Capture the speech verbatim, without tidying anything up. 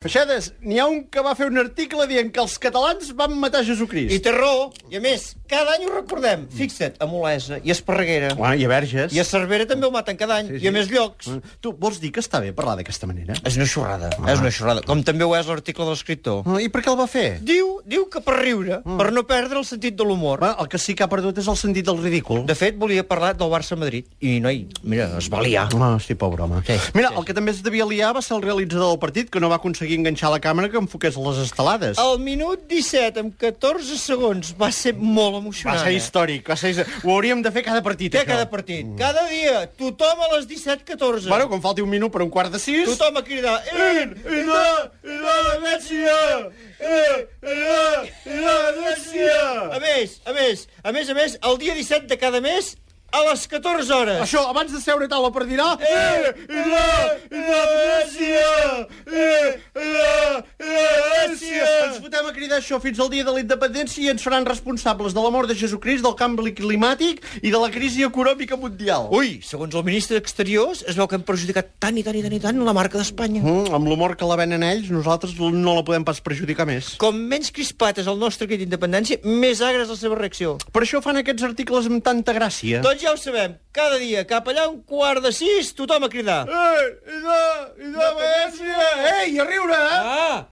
Feixedes, n'hi ha un que va fer un article dient que els catalans van matar Jesucrist. I té raó. I a més, cada any ho recordem. Fixa't, a Olesa i a Esparreguera. Bueno, i a Verges. I a Cervera també ho maten cada any. Sí, sí. I a més llocs. Tu vols dir que està bé parlar d'aquesta manera? És una xorrada. Ah. És una xorrada. Com també ho és l'article de l'escriptor. Ah, I per què el va fer? Diu, diu que per riure, mm. per no perdre el sentit de l'humor. Bueno, el que sí que ha perdut és el sentit del ridícul. De fet, volia parlar del Barça-Madrid. I, noi, mira, es va liar. Ah, sí, pobre home. Sí, mira, sí. el que també es devia liar va ser el realitzador del partit, que no va aconseguir enganxar la càmera que enfoqués les estelades. Al minut disset, amb catorze segons, va ser molt emocionant. Va ser històric. Va ser... Ho hauríem de fer cada partit, Què això. cada partit? Mm. Cada dia. Tothom a les disset catorze. Bueno, quan falti un minut per un quart de sis... Tothom a cridar... In, in, in, in, Mèsia! A més, a més, a més, a més, el dia disset de cada mes, a les catorze hores. Això, abans de seure a taula per dinar... Eh, la, la, Mèsia! Eh, la, Mèsia! Ens fotem a cridar això fins al dia de la independència i ens faran responsables de la mort de Jesucrist, del canvi climàtic i de la crisi econòmica mundial. Ui, segons el ministre d'Exteriors, es veu que hem perjudicat tant i tant i tant i tant la marca d'Espanya. Mm, amb l'humor que la venen ells, nosaltres no la podem pas perjudicar més. Com menys crispat és el nostre crit d'independència, més agra és la seva reacció. Per això fan aquests articles amb tanta gràcia. Doncs ja ho sabem, cada dia, cap allà un quart de sis, tothom a cridar. Ei, idò, idò, Mèsia! Ei, a riure, eh? Ah!